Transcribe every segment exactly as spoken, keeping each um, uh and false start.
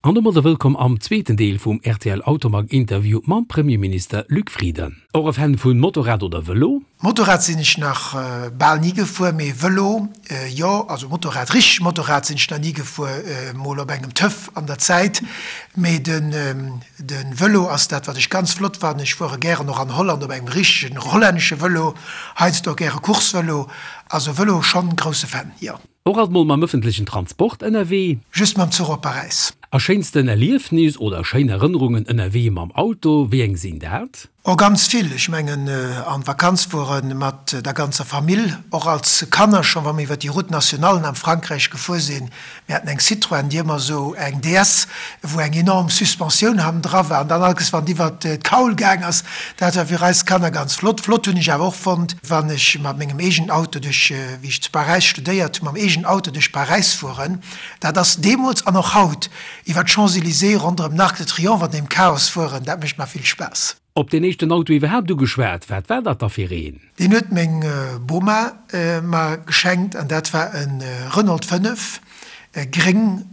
An domadder wëllkomm am zweeten Deel vum rtl Automag Interview mam Premierminister Luc Frieden. Och e Fan vun Motorrad oder Vëlo? Motorrad sinn ech nach bal ni gefuer, mee Vëlo jo. Also Motorrad, richteg Motorrad sinn ech nach ni gefuer, mol op engem Töff an der Zäit. Mee den Vëlo ass dat wat ech ganz flott fannen. Ech fuere gären och an Holland op engem richtegen hollännesche Vëlo, heiansdo och gäre Coursevëlo. Also Vëlo schonn grousse Fan, jo. Och alt mol mam ëffentlechen Transport ënnerwee? Just mam Zuch op Paräis. A schéinsten Erliefnis oder schéin Erënnerungen ënnerwee mam Auto, wéi eng sinn dat? Oh ganz vill, ech mengen an d'Vakanz fuere mat der ganzer Famill, och als Kanner schonn, wa mir iwwer déi Route nationalen am Frankräich gefuer sinn. Mir haten eng Citroën, déi ëmmer esou eng D S, wou eng enorm Suspensioun hannendra war an dann allkes wann et iwwer d'Kaul gaang ass, dat war fir eis Kanner ganz flott. Flott hunn ech awer och fonnt, wann ech mat mengem eegenen Auto duerch, wéi ech zu Paräis studéiert hunn, mam eegenen Auto duerch Paräis fueren, dat ass deemools an och haut, iwwer d'Champs-Élysées ronderëm den Arc de Triomphe an deem Chaos fueren, dat mécht mer vill Spaass. Op deen éischten Auto iwwerhaapt ugeschwat, wat war dat da fir een? Deen huet meng Boma mer geschenkt an dat war e Renault fënnef, gréng,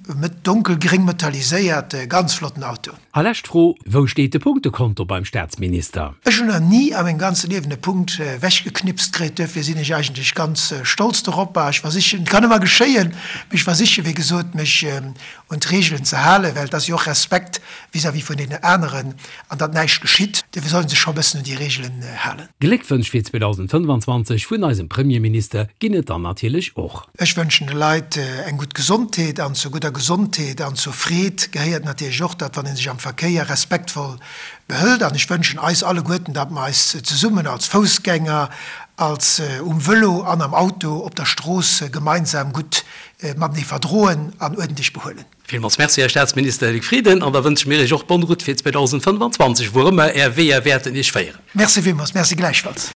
donkelgréng metalliséiert, ganz flotten Auto. A lescht Fro, Wou steet de Punktekonto beim Staatsminister? Ech hunn nach ni a mengem ganze Liewen e Punkt wechgeknipst kritt, duerfir sinn ech eigentlech ganz stolz doropper. Ech versichen, et kann ëmmer geschéien, mee ech versichen, wéi gesot, mech un d'Reegelen ze halen, well et ass jo och Respekt vis-à-vis vun deenen aneren an datt näischt geschitt. Duerfir soll ee sech scho e bëssen un déi Reegelen halen. Gléckwënsch fir zweedausendfënnfanzwanzeg vun eisem Premierminister ginn et dann natierlech och. Ech wënschen de Leit eng gutt Gesondheet an zur gudder Gesondheet an zur Freed gehéiert natierlech och, datt wann ee sech am Verkéier respektvoll behëlt. An ech wënschen eis alleguerten, datt mer eis zesummen als Foussgänger, als um Vëlo an am Auto op der Strooss gemeinsam gutt matenee verdroen an uerdentlech behuelen. Villmools Merci, Här Staatsminister Luc Frieden, an da wënsche mir Iech och bonne route fir zweedausendfënnfanzwanzeg, wou ëmmer Är Weeër wäerten Iech féieren. Merci villmools. Merci gläichfalls.